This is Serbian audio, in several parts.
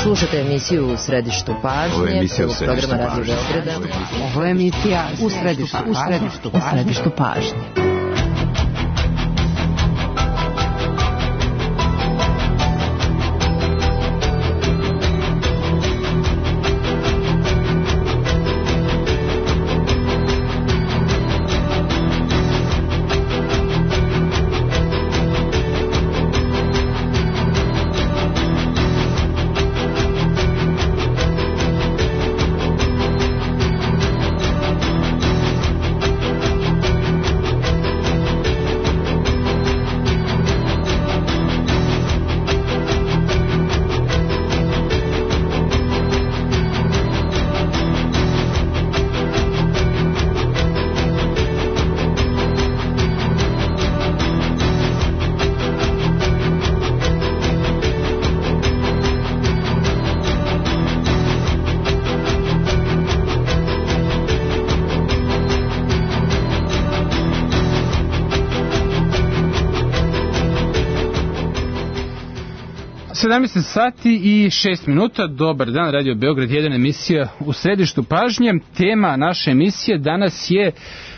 Slušate emisiju U središtu pažnje, programa Radio Beograda. Ovo je emisija U središtu pažnje. Sati i 6 minuta. Dobar dan, Radio Beograd 1, emisija U središtu pažnje. Tema naše emisije danas je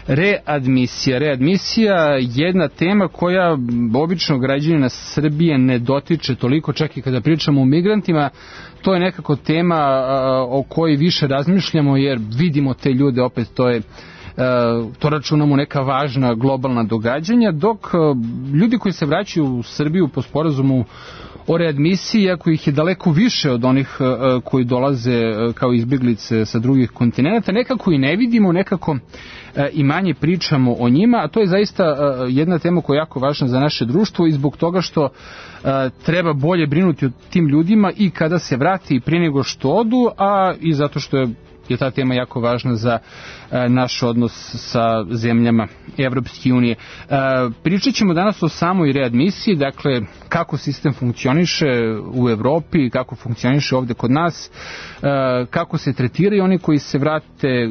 readmisija. Readmisija je jedna tema koja obično građanina Srbije ne dotiče toliko, čak i kada pričamo o migrantima. To je nekako tema o kojoj više razmišljamo, jer vidimo te ljude, opet to računamo neka važna globalna događanja, dok ljudi koji se vraćaju u Srbiju po sporazumu o readmisiji, iako ih je daleko više od onih koji dolaze kao izbjeglice sa drugih kontinenta, nekako i ne vidimo, nekako i manje pričamo o njima, a to je zaista jedna tema koja je jako važna za naše društvo i zbog toga što treba bolje brinuti o tim ljudima i kada se vrati i prije nego što odu, a i zato što je ta tema jako važna za naš odnos sa zemljama Evropske unije. Pričat ćemo danas o samoj readmisiji, dakle kako sistem funkcioniše u Evropi, kako funkcioniše ovde kod nas, kako se tretiraju oni koji se vrate,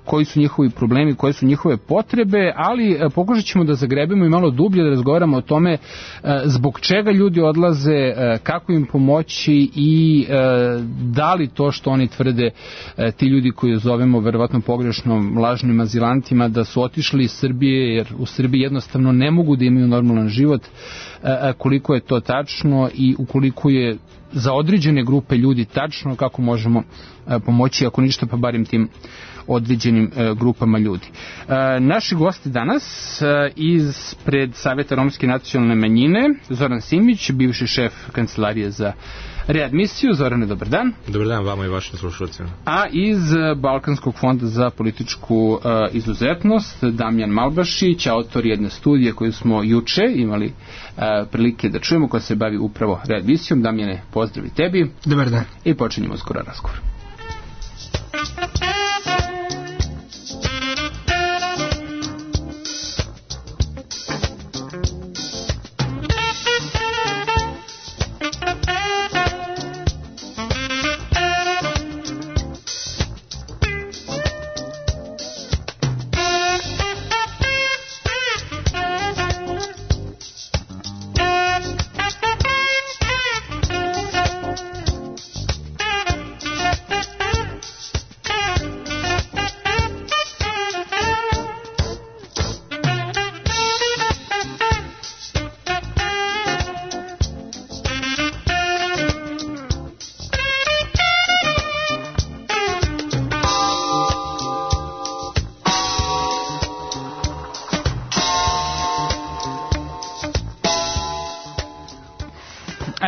koji su njihovi problemi, koje su njihove potrebe, ali pokušat ćemo da zagrebemo i malo dublje, da razgovaramo o tome zbog čega ljudi odlaze, kako im pomoći i da li to što oni tvrde, ti ljudi koji zovemo verovatno pogrešno lažnim azilantima, da su otišli iz Srbije jer u Srbiji jednostavno ne mogu da imaju normalan život, koliko je to tačno i ukoliko je za određene grupe ljudi tačno, kako možemo pomoći, ako ništa pa barim tim određenim grupama ljudi. Naši gosti danas ispred Saveta romske nacionalne manjine, Zoran Simić, bivši šef Kancelarije za readmisiju. Zorane, dobar dan. Dobar dan vama i vašim slušalcima. A iz Balkanskog fonda za političku izuzetnost, Damjan Malbašić, autor jedne studije koju smo juče imali prilike da čujemo, koja se bavi upravo readmisijom. Damjane, pozdrav i tebi. Dobar dan. I počinjemo skoro razgovor.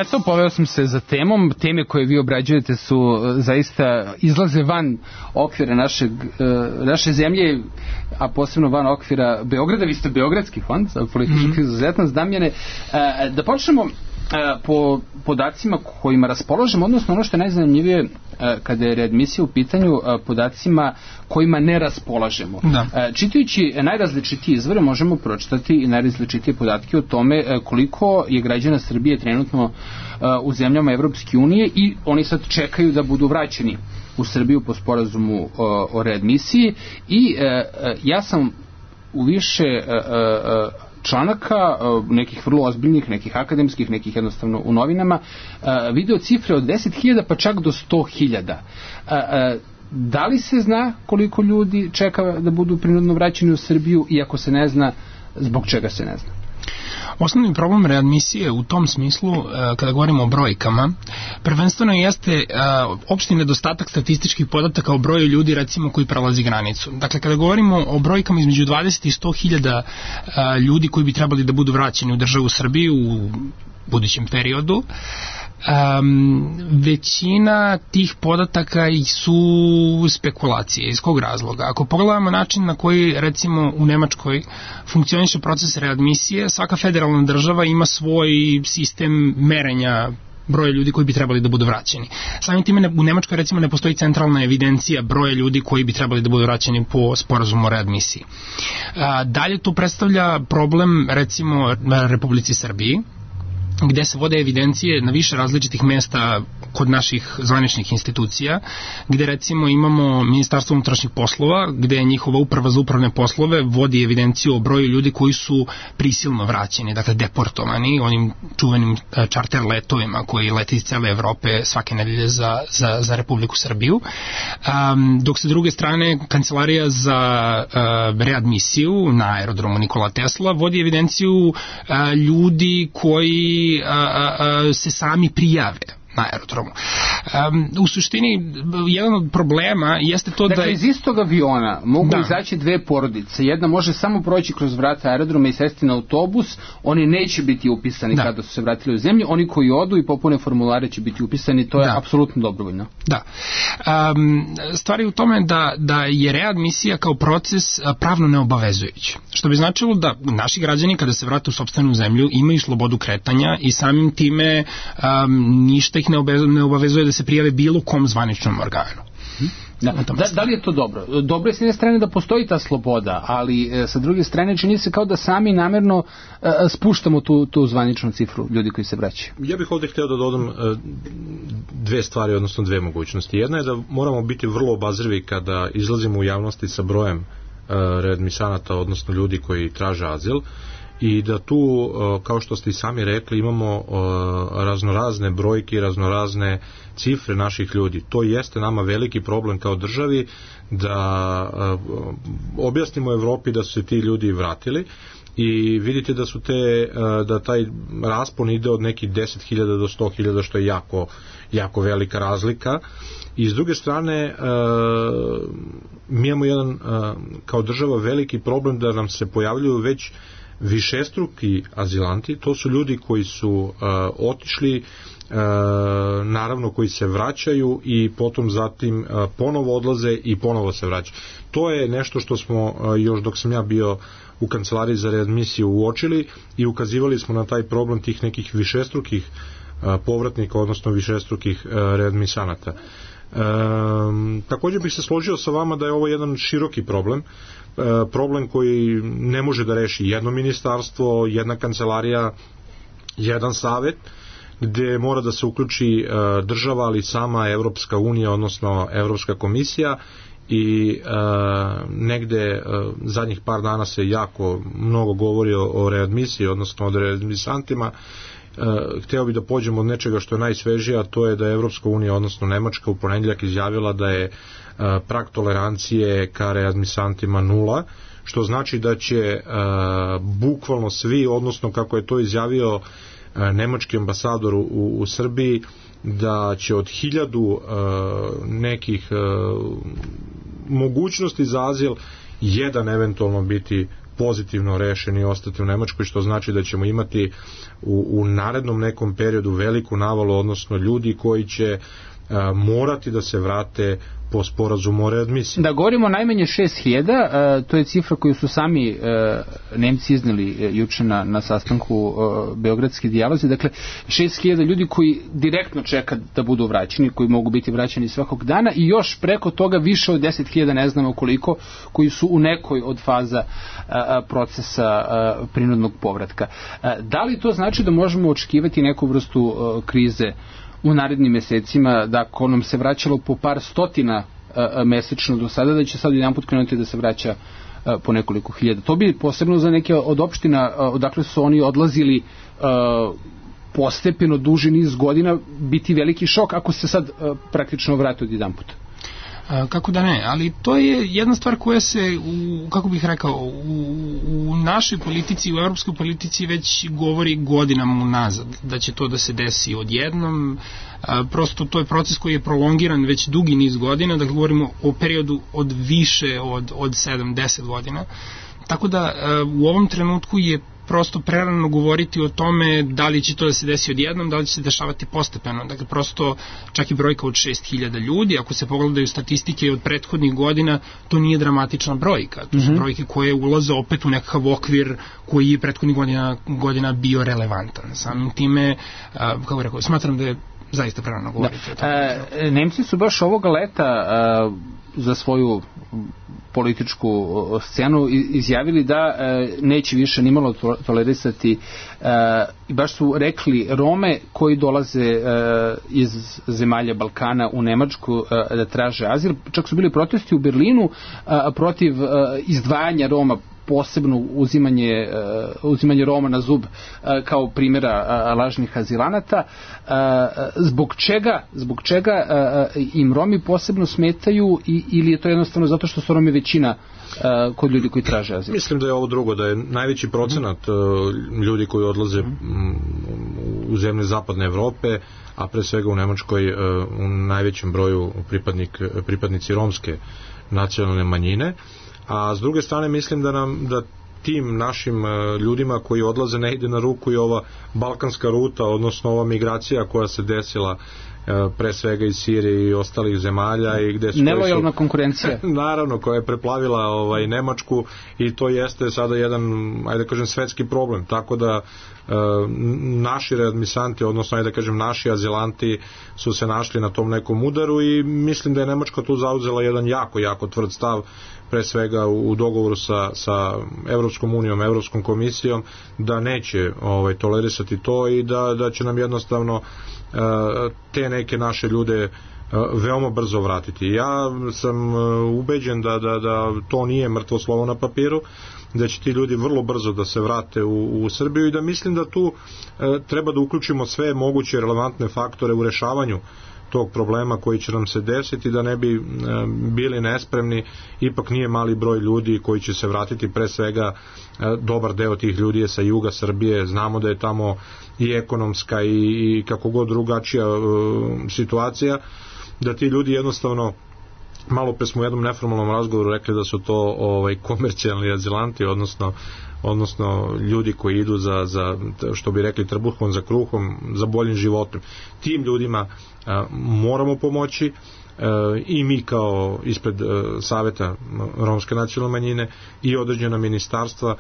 Eto, poveo sam se za temom. Teme koje vi obrađujete su zaista izlaze van okvira naše zemlje, a posebno van okvira Beograda. Vi ste Beogradski fond za političku izuzetnost. Damjane, da počnemo po podacima kojima raspolažemo, odnosno ono što je najzanimljivije kada je readmisija u pitanju, podacima kojima ne raspolažemo. Da. Čitajući najrazličitije izvore možemo pročitati i najrazličitije podatke o tome koliko je građana Srbije trenutno u zemljama Evropske unije i oni sad čekaju da budu vraćeni u Srbiju po sporazumu o readmisiji i ja sam u više članaka, nekih vrlo ozbiljnih, nekih akademskih, nekih jednostavno u novinama, video cifre od 10.000 pa čak do 100.000. Da li se zna koliko ljudi čeka da budu prinudno vraćeni u Srbiju, i ako se ne zna, zbog čega se ne zna? Osnovni problem readmisije u tom smislu, kada govorimo o brojkama, prvenstveno jeste opšti nedostatak statističkih podataka o broju ljudi, recimo, koji prelazi granicu. Dakle, kada govorimo o brojkama između 20 i 100.000 ljudi koji bi trebali da budu vraćeni u državu Srbiju u budućem periodu, većina tih podataka su spekulacije. Iz kog razloga? Ako pogledamo način na koji, recimo, u Nemačkoj funkcioniše proces readmisije, svaka federalna država ima svoj sistem merenja broja ljudi koji bi trebali da budu vraćeni. Samim time u Nemačkoj, recimo, ne postoji centralna evidencija broja ljudi koji bi trebali da budu vraćeni po sporazumu o readmisiji. Dalje to predstavlja problem, recimo, Republici Srbiji, gde se vode evidencije na više različitih mesta kod naših zvaničnih institucija, gde recimo imamo Ministarstvo unutrašnjih poslova, gde je njihova uprava za upravne poslove vodi evidenciju o broju ljudi koji su prisilno vraćeni, dakle deportovani onim čuvenim čarter letovima koji lete iz cele Evrope svake nedelje za Republiku Srbiju. Dok sa druge strane Kancelarija za readmisiju na aerodromu Nikola Tesla vodi evidenciju ljudi koji se sami prijave na aerodromu. U suštini, jedan od problema jeste to dakle, iz istog aviona mogu izaći dve porodice. Jedna može samo proći kroz vrata aerodroma i sesti na autobus, oni neće biti upisani kada su se vratili u zemlju, oni koji odu i popune formulare će biti upisani, to je apsolutno dobrovoljno. Da. Stvar je u tome da je readmisija kao proces pravno neobavezujući. Što bi značilo da naši građani kada se vrate u sopstvenu zemlju imaju slobodu kretanja i samim time ništa ih ne obavezuje da se prijave bilo kom zvaničnom organu. Da li je to dobro? Dobro je s jedne strane da postoji ta sloboda, ali sa druge strane čini se kao da sami namerno spuštamo tu zvaničnu cifru ljudi koji se vraćaju. Ja bih ovdje htio da dodam dve stvari, odnosno dve mogućnosti. Jedna je da moramo biti vrlo obazrivi kada izlazimo u javnosti sa brojem readmisanata, odnosno ljudi koji traže azil, i da tu, kao što ste i sami rekli, imamo raznorazne brojke, raznorazne cifre naših ljudi. To jeste nama veliki problem kao državi, da objasnimo Evropi da su se ti ljudi vratili, i vidite da taj raspon ide od nekih 10.000 do 100.000, što je jako velika razlika. I s druge strane, mi imamo jedan, kao država, veliki problem da nam se pojavljuju već višestruki azilanti. To su ljudi koji su otišli, naravno koji se vraćaju i potom zatim ponovo odlaze i ponovo se vraćaju. To je nešto što smo još dok sam ja bio u Kancelariji za readmisiju uočili i ukazivali smo na taj problem tih nekih višestrukih povratnika, odnosno višestrukih readmisanata. Također bih se složio sa vama da je ovo jedan široki problem koji ne može da reši jedno ministarstvo, jedna kancelarija, jedan savet, gde mora da se uključi država, ali sama Evropska unija, odnosno Evropska komisija, i negde zadnjih par dana se jako mnogo govori o readmisiji, odnosno o readmisantima. Hteo bih da pođemo od nečega što je najsvežije, a to je da je Evropska unija, odnosno Nemačka, u ponedjeljak izjavila da je prag tolerancije ka readmisantima 0, što znači da će bukvalno svi, odnosno kako je to izjavio nemački ambasador u Srbiji, da će od 1000 nekih mogućnosti za azil jedan eventualno biti pozitivno rešen i ostati u Nemačkoj, što znači da ćemo imati u narednom nekom periodu veliku navalu, odnosno ljudi koji će morati da se vrate po sporazumu o readmisiji. Da govorimo najmanje 6.000, to je cifra koju su sami Nemci izneli juče na sastanku Beogradske dijalozi. Dakle, 6.000 ljudi koji direktno čeka da budu vraćeni, koji mogu biti vraćeni svakog dana, i još preko toga više od 10.000, ne znamo koliko, koji su u nekoj od faza procesa prinudnog povratka. Da li to znači da možemo očekivati neku vrstu krize u narednim mesecima, da ako nam se vraćalo po par stotina mesečno do sada, da će sad jedan put krenuti da se vraća po nekoliko hiljada. To bi posebno za neke od opština odakle su oni odlazili postepeno duži niz godina biti veliki šok ako se sad praktično vrate od jedan puta. Kako da ne, ali to je jedna stvar koja se, kako bih rekao, u našoj politici, u evropskoj politici već govori godinama unazad, da će to da se desi odjednom. Prosto to je proces koji je prolongiran već dugi niz godina, da govorimo o periodu od više od 7-10 godina. Tako da u ovom trenutku je prosto prerano govoriti o tome da li će to da se desi odjednom, da li će se dešavati postepeno. Dakle, prosto čak i brojka od 6.000 ljudi, ako se pogledaju statistike od prethodnih godina, to nije dramatična brojka. To su brojke koje ulaze opet u nekakav okvir koji je prethodnih godina bio relevantan. Samim time, kako rekao, smatram da je zaista prerano govoriti o tome. Nemci su baš ovoga leta za svoju političku scenu izjavili da neće više nimalo tolerisati i baš su rekli Rome koji dolaze iz zemalja Balkana u Nemačku da traže azil. Čak su bili protesti u Berlinu protiv izdvajanja Roma, posebno uzimanje Roma na zub kao primjera lažnih azilanata. Zbog čega im Romi posebno smetaju ili je to jednostavno zato što su Romi većina kod ljudi koji traže azil? Mislim da je ovo drugo, da je najveći procenat ljudi koji odlaze u zemlje zapadne Evrope, a pre svega u Nemačkoj u najvećem broju pripadnici romske nacionalne manjine. A s druge strane mislim da tim našim ljudima koji odlaze ne ide na ruku i ova balkanska ruta, odnosno ova migracija koja se desila pre svega iz Sirije i ostalih zemalja i gde su nelojalna konkurencija naravno koja je preplavila Nemačku i to jeste sada jedan, ajde da kažem, svetski problem, tako da naši readmisanti, odnosno ajde da kažem naši azilanti su se našli na tom nekom udaru i mislim da je Nemačka tu zauzela jedan jako tvrd stav, pre svega u dogovoru sa Evropskom unijom, Evropskom komisijom, da neće tolerisati to i da će nam jednostavno te neke naše ljude veoma brzo vratiti. Ja sam ubeđen da to nije mrtvo slovo na papiru, da će ti ljudi vrlo brzo da se vrate u Srbiju i da mislim da tu treba da uključimo sve moguće relevantne faktore u rešavanju tog problema koji će nam se desiti, da ne bi bili nespremni. Ipak nije mali broj ljudi koji će se vratiti, pre svega dobar deo tih ljudi je sa juga Srbije, znamo da je tamo i ekonomska i kako god drugačija situacija, da ti ljudi jednostavno, malo pre smo u jednom neformalnom razgovoru rekli da su to komercijalni azilanti, odnosno ljudi koji idu za što bi rekli trbuhom za kruhom, za boljim životom. Tim ljudima moramo pomoći i mi kao ispred Saveta romske nacionalne manjine i određena ministarstva.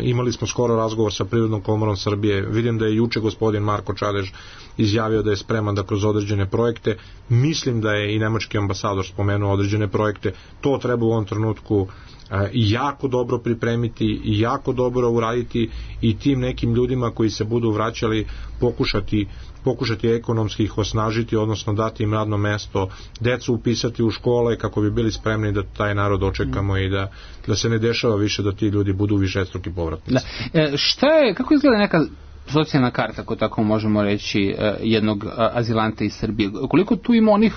Imali smo skoro razgovor sa Privrednom komorom Srbije, vidim da je juče gospodin Marko Čadež izjavio da je spreman da kroz određene projekte, mislim da je i nemački ambasador spomenuo određene projekte, to treba u ovom trenutku jako dobro pripremiti i jako dobro uraditi i tim nekim ljudima koji se budu vraćali pokušati ekonomski ih osnažiti, odnosno dati im radno mesto, decu upisati u škole kako bi bili spremni da taj narod očekamo i da se ne dešava više da ti ljudi budu višestruki povratnici. Kako izgleda neka socijalna karta, ako tako možemo reći, jednog azilanta iz Srbije? Koliko tu ima onih,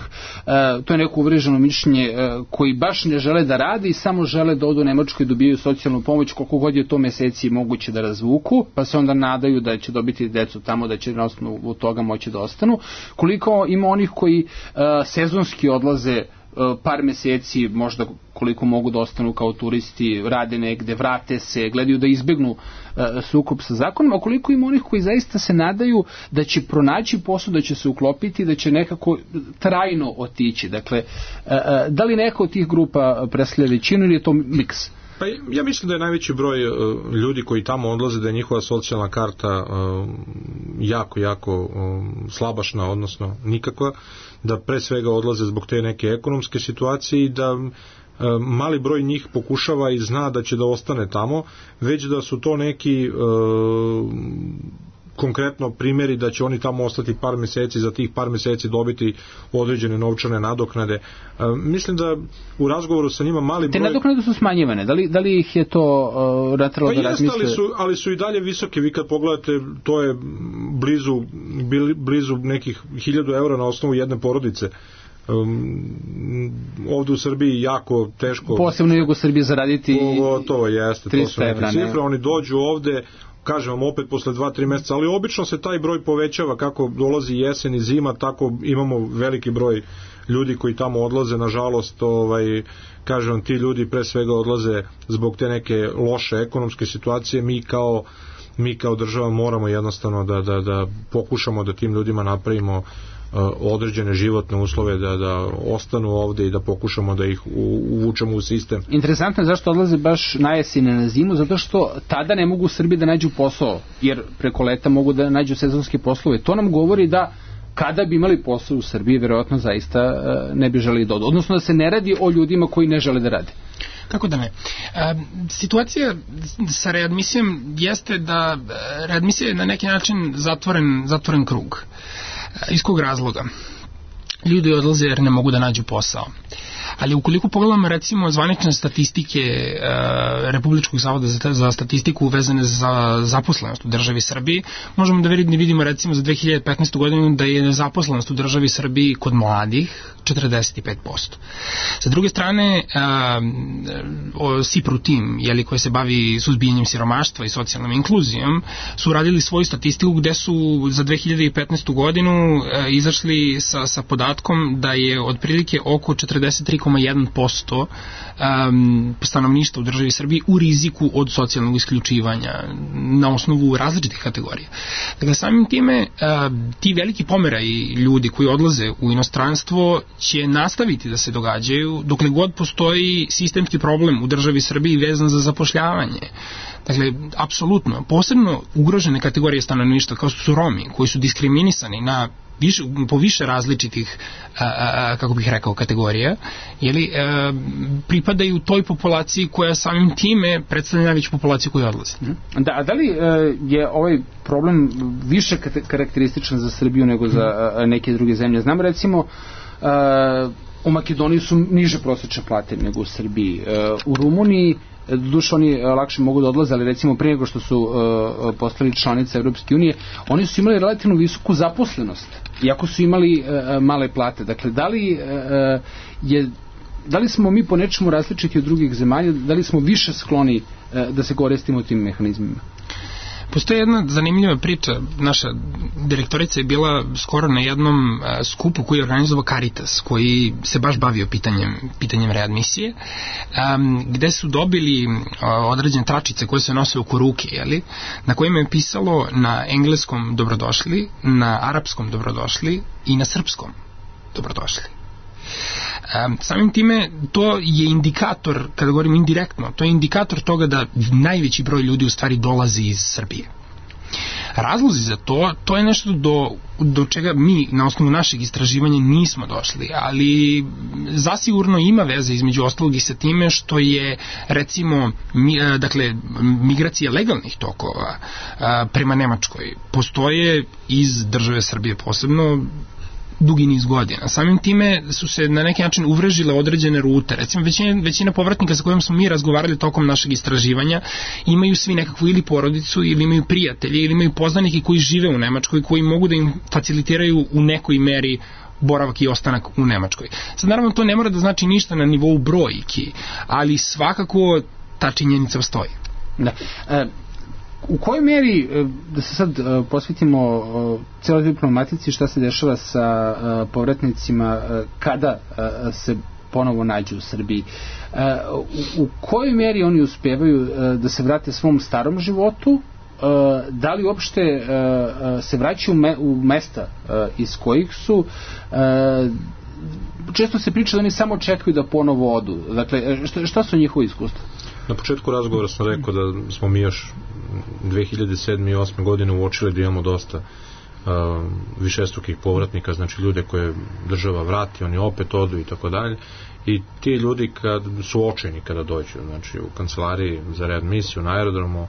to je neko uvriježeno mišljenje, koji baš ne žele da rade i samo žele da odu u Nemačku i dobijaju socijalnu pomoć, koliko god je to meseci moguće da razvuku, pa se onda nadaju da će dobiti decu tamo, da će na osnovu toga moći da ostanu? Koliko ima onih koji sezonski odlaze par meseci, možda koliko mogu da ostanu kao turisti, rade negde, vrate se, gledaju da izbegnu sukob sa zakonima, koliko ima onih koji zaista se nadaju da će pronaći posao, da će se uklopiti, da će nekako trajno otići. Dakle, da li neka od tih grupa predstavlja većinu ili je to miks? Pa ja mislim da je najveći broj ljudi koji tamo odlaze, da je njihova socijalna karta jako slabašna, odnosno nikakva, da pre svega odlaze zbog te neke ekonomske situacije i da mali broj njih pokušava i zna da će da ostane tamo, već da su to neki konkretno primjeri da će oni tamo ostati par meseci, za tih par meseci dobiti određene novčane nadoknade. Mislim da u razgovoru sa njima mali broj... Te nadoknade su smanjivane, da li ih je to natralo da razmisle? Ali su i dalje visoke. Vi kad pogledate, to je blizu nekih 1000 eura na osnovu jedne porodice. Ovdje u Srbiji jako teško, posebno u jugu Srbije, zaraditi gotovo jeste, 300 to su neke cifre. Oni dođu ovde, kažem vam, opet posle 2-3 meseca, ali obično se taj broj povećava kako dolazi jesen i zima, tako imamo veliki broj ljudi koji tamo odlaze. Nažalost, kažem, ti ljudi pre svega odlaze zbog te neke loše ekonomske situacije. Mi kao država moramo jednostavno da pokušamo da tim ljudima napravimo određene životne uslove, da ostanu ovde i da pokušamo da ih uvučemo u sistem. Interesantno je zašto odlaze baš na jesen i na zimu, zato što tada ne mogu u Srbiji da nađu posao, jer preko leta mogu da nađu sezonske poslove. To nam govori da kada bi imali posao u Srbiji, verovatno zaista ne bi želeli da odu. Odnosno da se ne radi o ljudima koji ne žele da rade. Kako da ne? Situacija sa readmisijom jeste da readmisija je na neki način zatvoren krug. Iz kog razloga? Ljudi odlaze jer ne mogu da nađu posao. Ali ukoliko pogledamo recimo zvanične statistike Republičkog zavoda za statistiku vezane za zaposlenost u državi Srbiji, možemo da vidimo recimo za 2015. godinu da je nezaposlenost u državi Srbiji kod mladih 45%. Sa druge strane, SIPRU tim, koji se bavi suzbijanjem siromaštva i socijalnom inkluzijom, su radili svoju statistiku gde su za 2015. godinu izašli sa podatkom da je otprilike oko 43,1% stanovništva u državi Srbiji u riziku od socijalnog isključivanja na osnovu različitih kategorija. Dakle, samim time ti veliki pomeraji ljudi koji odlaze u inostranstvo će nastaviti da se događaju dokle god postoji sistemski problem u državi Srbiji vezan za zapošljavanje. Dakle, apsolutno, posebno ugrožene kategorije stanovništva kao su Romi, koji su diskriminisani po više različitih, kako bih rekao, kategorija, pripadaju toj populaciji koja samim time predstavlja najveću populaciju koja odlazi. Da li je ovaj problem više karakterističan za Srbiju nego za neke druge zemlje? Znamo recimo u Makedoniji su niže prosječne plate nego u Srbiji. U Rumuniji doduše oni lakše mogu da odlaze, ali recimo prije nego što su postali članice Evropske unije, oni su imali relativno visoku zaposlenost, iako su imali male plate. Dakle, da li smo mi po nečemu različiti od drugih zemalja, da li smo više skloni da se koristimo tim mehanizmima? Postoji jedna zanimljiva priča. Naša direktorica je bila skoro na jednom skupu koji je organizovao Caritas, koji se baš bavio pitanjem readmisije, gde su dobili određene tračice koje se nose oko ruke, na kojima je pisalo na engleskom dobrodošli, na arapskom dobrodošli i na srpskom dobrodošli. Samim time to je indikator, kada govorim indirektno, to je indikator toga da najveći broj ljudi u stvari dolazi iz Srbije. Razlozi za to je nešto do čega mi na osnovu našeg istraživanja nismo došli, ali zasigurno ima veze između ostalog i sa time što je recimo migracija legalnih tokova prema Nemačkoj postoje iz države Srbije posebno dugi niz godina. Samim time su se na neki način uvrežile određene rute. Recimo, većina povratnika sa kojom smo mi razgovarali tokom našeg istraživanja imaju svi nekakvu ili porodicu, ili imaju prijatelje, ili imaju poznanike koji žive u Nemačkoj, koji mogu da im facilitiraju u nekoj meri boravak i ostanak u Nemačkoj. Sad, naravno, to ne mora da znači ništa na nivou brojki, ali svakako ta činjenica postoji. Da. U kojoj meri, da se sad posvetimo celoj diplomatici, šta se dešava sa povratnicima kada se ponovo nađu u Srbiji, u kojoj meri oni uspevaju da se vrate svom starom životu, da li uopšte se vraćaju u mesta iz kojih su, često se priča da oni samo čekaju da ponovo odu. Dakle, šta su njihovi iskustva? Na početku razgovora sam rekao da smo mi još 2007. i 2008. godine uočili da imamo dosta višestrukih povratnika, znači ljude koje država vrati, oni opet odu i tako dalje. I ti ljudi kad su očajni kada dođu, znači u kancelariji za readmisiju na aerodromu,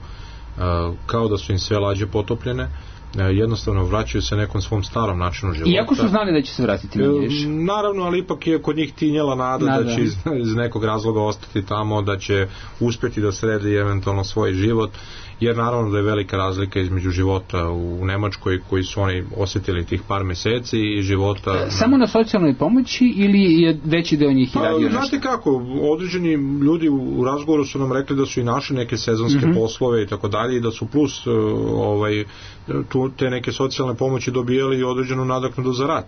kao da su im sve lađe potopljene, jednostavno vraćaju se nekom svom starom načinu života. Iako su znali da će se vratiti na Nješ. Naravno, ali ipak je kod njih tinjala nada da će iz nekog razloga ostati tamo, da će uspjeti da sredi eventualno svoj život, jer naravno da je velika razlika između života u Nemačkoj koji su oni osjetili tih par meseci i života... Samo na socijalnoj pomoći ili je veći deo njih i radio nešto? Znate kako, određeni ljudi u razgovoru su nam rekli da su i našli neke sezonske poslove i tako dalje i da su plus te neke socijalne pomoći dobijali i određenu nadoknadu za rad.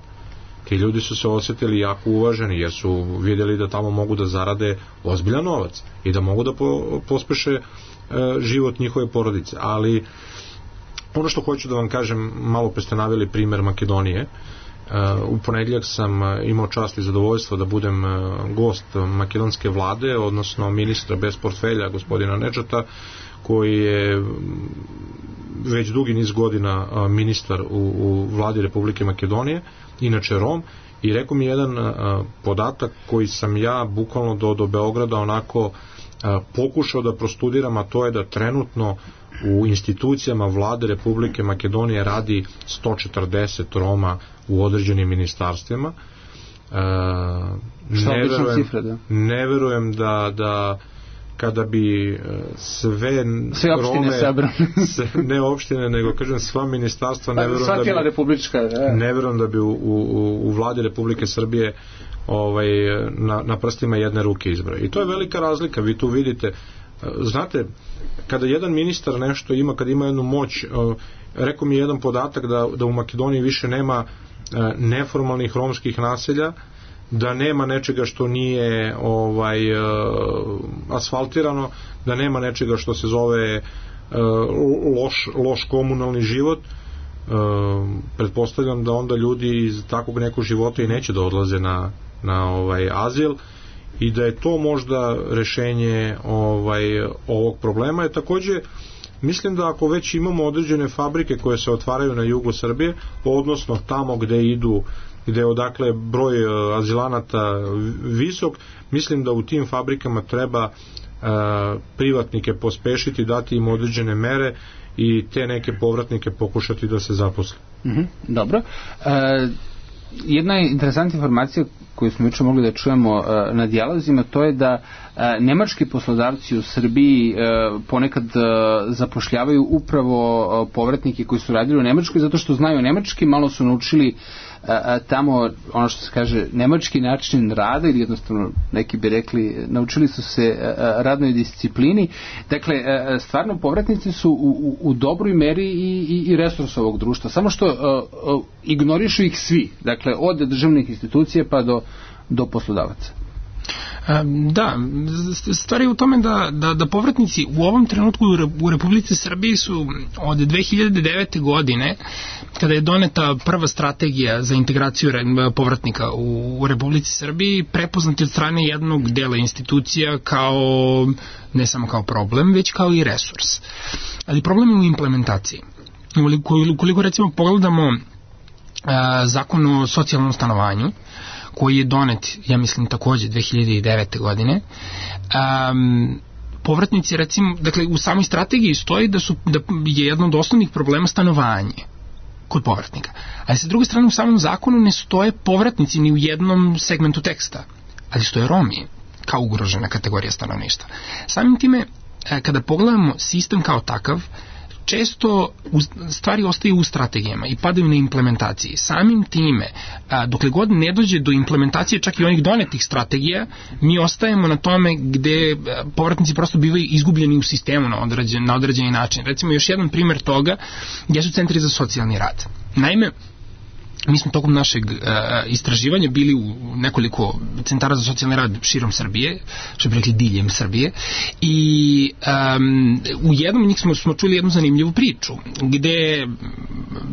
Ti ljudi su se osjetili jako uvaženi jer su vidjeli da tamo mogu da zarade ozbiljan novac i da mogu da pospeše život njihove porodice. Ali ono što hoću da vam kažem, malo pre ste naveli primer Makedonije. U ponedjeljak sam imao čast i zadovoljstvo da budem gost makedonske vlade, odnosno ministra bez portfelja gospodina Nedžata, koji je već dugi niz godina ministar u vladi Republike Makedonije, inače Rom, i rekao mi jedan podatak koji sam ja bukvalno do Beograda onako pokušao da prostudiram, a to je da trenutno u institucijama vlade Republike Makedonije radi 140 Roma u određenim ministarstvima. Ne verujem da kada bi sve Rome, ne opštine, nego kažem sva ministarstva, ne verujem da bi u vladi Republike Srbije na prstima jedne ruke izbroj. I to je velika razlika, vi tu vidite. Znate, kada jedan ministar nešto ima, kada ima jednu moć, rekao mi jedan podatak da u Makedoniji više nema neformalnih romskih naselja, da nema nečega što nije asfaltirano, da nema nečega što se zove loš komunalni život. Pretpostavljam da onda ljudi iz takvog nekog života i neće da odlaze na azil i da je to možda rešenje ovog problema. Je takođe, mislim da ako već imamo određene fabrike koje se otvaraju na jugu Srbije, odnosno tamo gde je odakle broj azilanata visok, mislim da u tim fabrikama treba privatnike pospešiti, dati im određene mere i te neke povratnike pokušati da se zaposle. Dobro. Jedna interesantna informacija koju smo juče mogli da čujemo na dijalozima, to je da nemački poslodavci u Srbiji ponekad zapošljavaju upravo povratnike koji su radili u Nemačkoj zato što znaju nemački, malo su naučili tamo, ono što se kaže, nemački način rada, ili jednostavno neki bi rekli, naučili su se radnoj disciplini. Dakle, stvarno povratnici su u dobroj meri i resurs ovog društva, samo što ignorišu ih svi, dakle, od državnih institucija pa do poslodavaca. Da, stvar je u tome da povratnici u ovom trenutku u Republici Srbiji su od 2009. godine, kada je doneta prva strategija za integraciju povratnika u Republici Srbiji, prepoznati od strane jednog dela institucija kao, ne samo kao problem, već kao i resurs. Ali problem je u implementaciji. Ukoliko recimo pogledamo Zakon o socijalnom stanovanju, koji je donet, ja mislim, takođe 2009. godine, povratnici, recimo, dakle, u samoj strategiji stoji da je jedno od osnovnih problema stanovanje kod povratnika. Ali sa druge strane, u samom zakonu ne stoje povratnici ni u jednom segmentu teksta, ali stoje Romi kao ugrožena kategorija stanovništva. Samim time, kada pogledamo sistem kao takav, često stvari ostaju u strategijama i padaju na implementaciji. Samim time, dokle god ne dođe do implementacije čak i onih donetih strategija, mi ostajemo na tome gde povratnici prosto bivaju izgubljeni u sistemu na određeni način. Recimo, još jedan primer toga jesu centri za socijalni rad. Naime, mi smo tokom našeg istraživanja bili u nekoliko centara za socijalni rad širom Srbije, što bi rekli diljem Srbije, i u jednom od njih smo čuli jednu zanimljivu priču, gde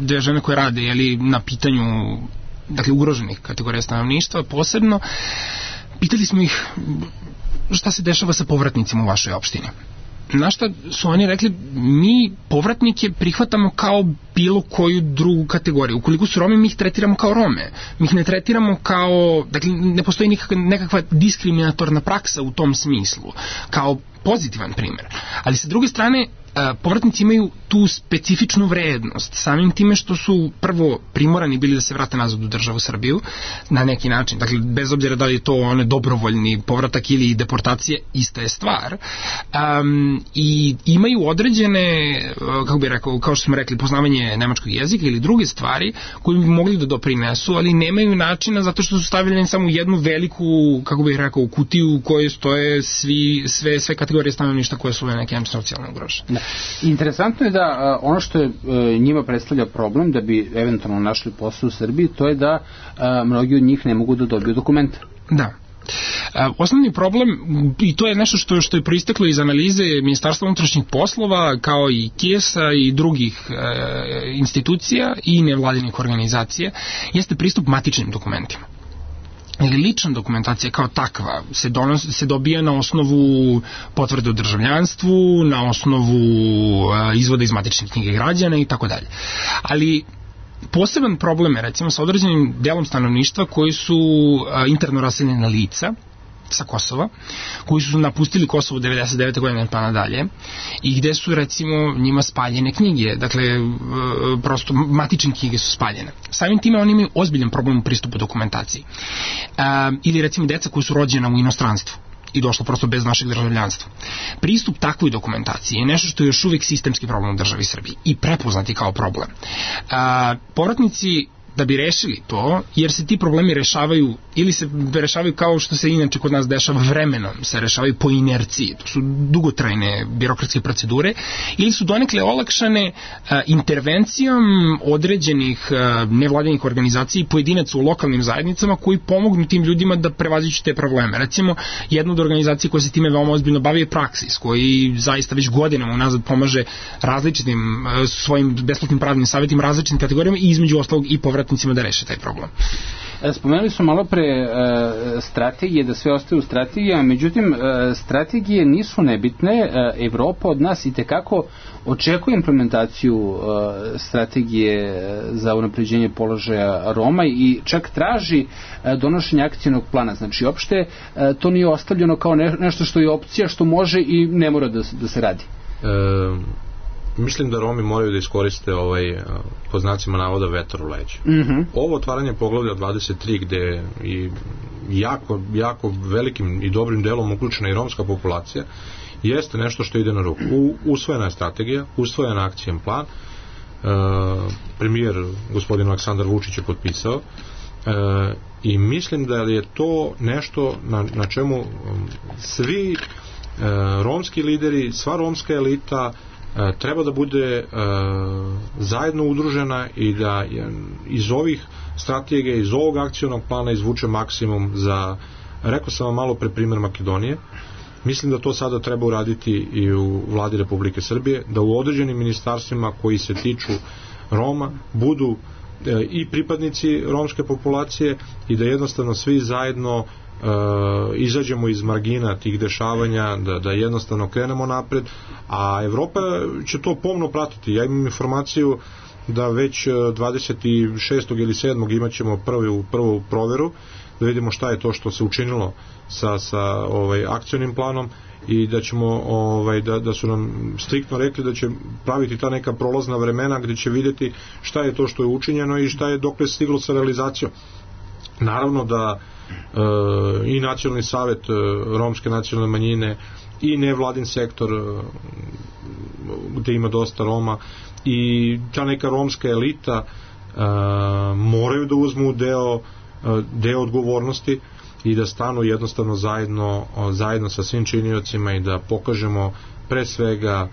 dve žene koje rade na pitanju, dakle, ugroženih kategorija stanovništva posebno, pitali smo ih šta se dešava sa povratnicima u vašoj opštini. Na šta su oni rekli, mi povratnike prihvatamo kao bilo koju drugu kategoriju. Ukoliko su Romi, mi ih tretiramo kao Rome. Mi ih ne tretiramo kao, dakle, ne postoji nekakva diskriminatorna praksa u tom smislu, kao pozitivan primjer. Ali sa druge strane, povratnici imaju tu specifičnu vrednost, samim time što su prvo primorani bili da se vrate nazad u državu Srbiju na neki način, dakle bez obzira da li je to dobrovoljni povratak ili deportacije, ista je stvar, i imaju određene, kako bih rekao, kao što smo rekli, poznavanje nemačkog jezika ili druge stvari koje bi mogli da doprinesu, ali nemaju načina zato što su stavljeni samo u jednu veliku, kako bih rekao, kutiju u kojoj stoje sve kategorije stanovništva koje su na nekim socijalno ugrožene. Interesantno je da ono što je njima predstavlja problem da bi eventualno našli posao u Srbiji, to je da mnogi od njih ne mogu da dobiju dokumenta. Da. Osnovni problem, i to je nešto što je proisteklo iz analize Ministarstva unutrašnjih poslova, kao i KIES-a i drugih institucija i nevladinih organizacija, jeste pristup matičnim dokumentima. Lična dokumentacija kao takva se dobija na osnovu potvrde o državljanstvu, na osnovu izvoda iz matične knjige građana i tako dalje. Ali poseban problem je recimo sa određenim delom stanovništva koji su interno raseljena lica sa Kosova, koji su napustili Kosovo 99. godine pa nadalje i gde su recimo njima spaljene knjige, dakle prosto matične knjige su spaljene. Samim time oni imaju ozbiljan problem u pristupu dokumentaciji. Ili recimo deca koji su rođena u inostranstvu i došlo prosto bez našeg državljanstva. Pristup takvoj dokumentaciji je nešto što je još uvijek sistemski problem u državi Srbiji i prepoznati kao problem. Povratnici da bi rešili to, jer se ti problemi rešavaju ili se rešavaju kao što se inače kod nas dešava vremenom, se rešavaju po inerciji, to su dugotrajne birokratske procedure, ili su donekle olakšane intervencijom određenih nevladinih organizacija i pojedinaca u lokalnim zajednicama koji pomognu tim ljudima da prevaziđu te probleme. Recimo, jedna od organizacija koja se time veoma ozbiljno bavi je Praksis, koji zaista već godinama unazad pomaže različitim svojim besplatnim pravnim savjetima, različitim kategorijama i između ostalog i povratnicima da reše taj problem. Spomenuli smo malo pre strategije, da sve ostaje u strategijama, međutim strategije nisu nebitne. Evropa od nas itekako očekuje implementaciju strategije za unapređenje položaja Roma i čak traži donošenje akcijnog plana. Znači, uopšte to nije ostavljeno kao nešto što je opcija, što može i ne mora da se radi. Mislim da Romi moraju da iskoriste po znacima navoda vetar u leđa. Ovo otvaranje poglavlja 23 gde i jako velikim i dobrim delom uključena i romska populacija jeste nešto što ide na ruku. Usvojena je strategija, usvojen akcijen plan, premijer gospodin Aleksandar Vučić je potpisao i mislim da je to nešto na čemu svi romski lideri, sva romska elita treba da bude zajedno udružena i da iz ovih strategija, iz ovog akcionog plana izvuče maksimum za, rekao sam vam malo pre primer Makedonije. Mislim da to sada treba uraditi i u vladi Republike Srbije, da u određenim ministarstvima koji se tiču Roma budu i pripadnici romske populacije i da jednostavno svi zajedno izađemo iz margina tih dešavanja, da jednostavno krenemo napred, a Evropa će to pomno pratiti. Ja imam informaciju da već 26. ili 7. imat ćemo prvu proveru, da vidimo šta je to što se učinilo sa akcionim planom i da ćemo da su nam striktno rekli da će praviti ta neka prolazna vremena gdje će vidjeti šta je to što je učinjeno i šta je dokle stiglo sa realizacijom. Naravno da i nacionalni savet romske nacionalne manjine i nevladin sektor gdje ima dosta Roma i ta neka romska elita moraju da uzmu deo odgovornosti i da stanu jednostavno zajedno sa svim činiocima i da pokažemo pre svega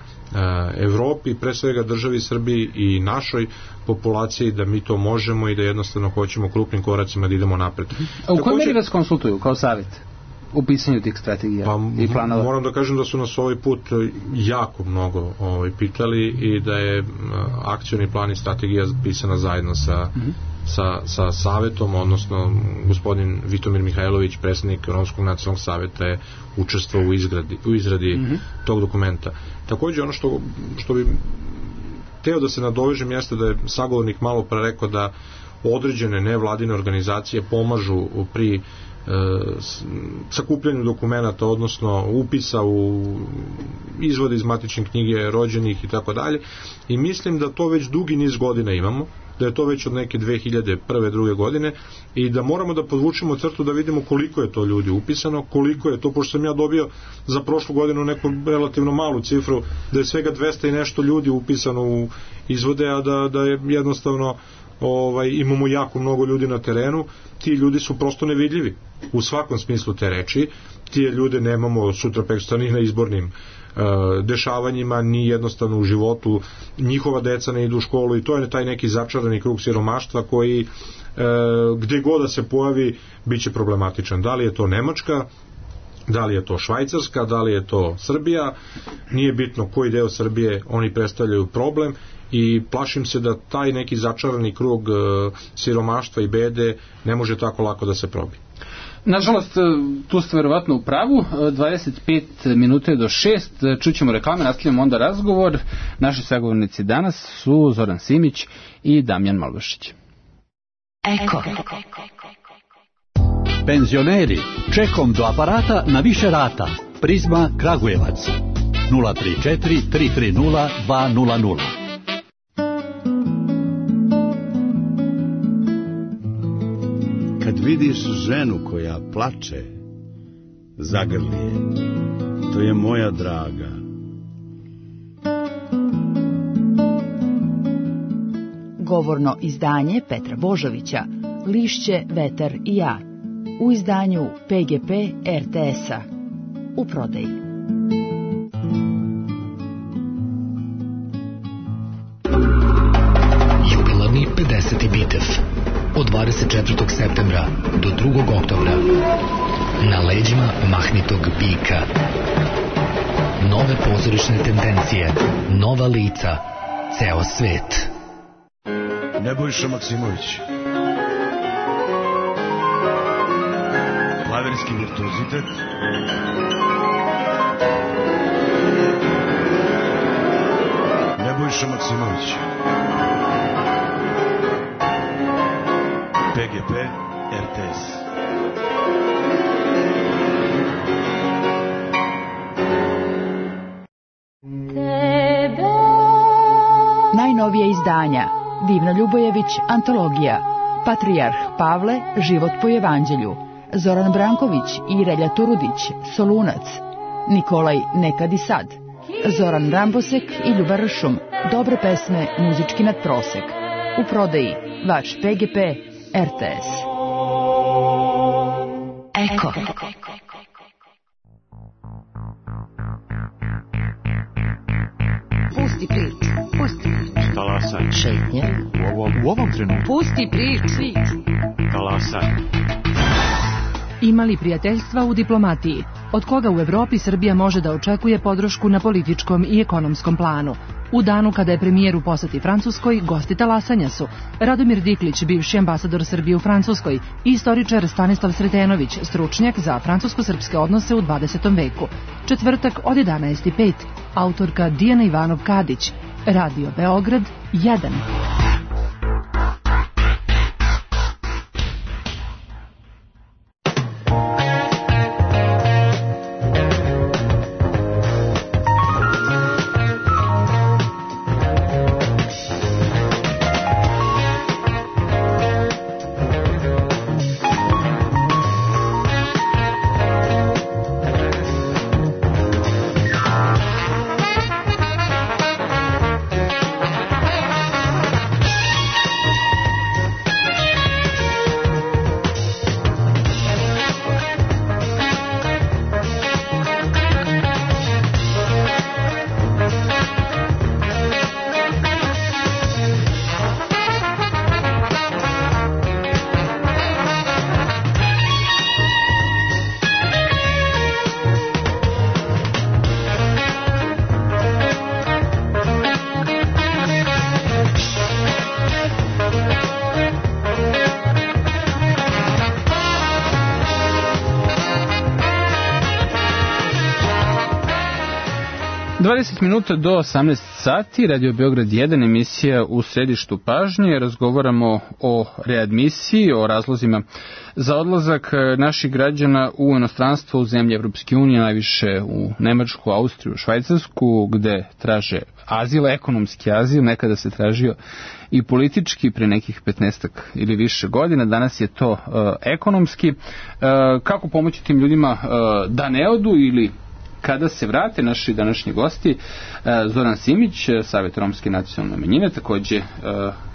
Evropi, pre svega državi Srbiji i našoj populaciji da mi to možemo i da jednostavno hoćemo krupnim koracima da idemo napred. A u kojoj meri vas konsultuju kao savjet u pisanju tih strategija i planova? Moram da kažem da su nas ovaj put jako mnogo pitali i da je akcioni plan i strategija pisana zajedno sa savetom, odnosno gospodin Vitomir Mihajlović, predsjednik Romskog nacionalnog saveta, je učestvovao u izradi tog dokumenta. Također ono što bi teo da se nadovežem jeste da je sagovornik malo pre rekao da određene nevladine organizacije pomažu pri sakupljanju dokumenata, odnosno upisa u izvode iz matične knjige rođenih i tako dalje. I mislim da to već dugi niz godina imamo, da je to već od neke 2001. druge godine i da moramo da podvučemo crtu da vidimo koliko je to ljudi upisano, koliko je to, pošto sam ja dobio za prošlu godinu neku relativno malu cifru, da je svega 200 i nešto ljudi upisano u izvode, a da je jednostavno imamo jako mnogo ljudi na terenu. Ti ljudi su prosto nevidljivi u svakom smislu te reči. Ti ljude nemamo sutra preksutra ni na izbornim dešavanjima, ni jednostavno u životu. Njihova deca ne idu u školu i to je taj neki začarani krug siromaštva koji gde god da se pojavi biće problematičan. Da li je to Nemačka, da li je to Švajcarska, da li je to Srbija, nije bitno koji deo Srbije, oni predstavljaju problem i plašim se da taj neki začarani krug siromaštva i bede ne može tako lako da se probi. Nažalost, tu ste verovatno u pravu. 25 minuta je do 6. Čućemo reklame, nastavljamo onda razgovor. Naši sagovornici danas su Zoran Simić i Damjan Malbašić. Eko. Penzioneri, čekom do aparata na više rata. Prizma Kragujevac 034 330 200. Kad vidiš ženu koja plače, zagrli je, to je moja draga. Govorno izdanje Petra Božovića, Lišće, vetar i ja, u izdanju PGP RTS-a, u prodaji. Jubilarni 50. bitev od 24. septembra do 2. oktobra na leđima mahnitog bika. Nove pozorišne tendencije, nova lica, ceo svet. Nebojša Maksimović. Klavirski virtuozitet. Nebojša Maksimović. PGP RTS. Najnovija izdanja: Divna Ljubojević, antologija, Patrijarh Pavle, život po evanđelju, Zoran Branković i Relja Turudić, Solunac, Nikolaj Nekad i sad, Zoran Rambosek i Ljubar Ršum, dobre pesme, muzički nadprosek. U prodaji vaš PGP RTS. Eko. Pusti priču. Pusti priču. Talasaj. Šetnje. U ovom trenutku. Pusti priču. Talasaj. Imali prijateljstva u diplomatiji, od koga u Evropi Srbija može da očekuje podršku na političkom i ekonomskom planu. U danu kada je premijer u poseti Francuskoj, gosti talasanja su Radomir Diklić, bivši ambasador Srbije u Francuskoj, i istoričar Stanislav Sretenović, stručnjak za francusko-srpske odnose u 20. veku. Četvrtak od 11:05, autorka Dijana Ivanov-Kadić, Radio Beograd 1. Minuta do 18 sati, Radio Beograd 1, emisija u središtu pažnje. Razgovaramo o readmisiji, o razlozima za odlazak naših građana u inostranstvo, u zemlje Evropske unije, najviše u Nemačku, Austriju, Švajcarsku, gde traže azil, ekonomski azil, nekada se tražio i politički pre nekih 15 ili više godina, danas je to ekonomski. Kako pomoći tim ljudima da ne odu ili kada se vrate? Naši današnji gosti, Zoran Simić, Savet romske nacionalne manjine, takođe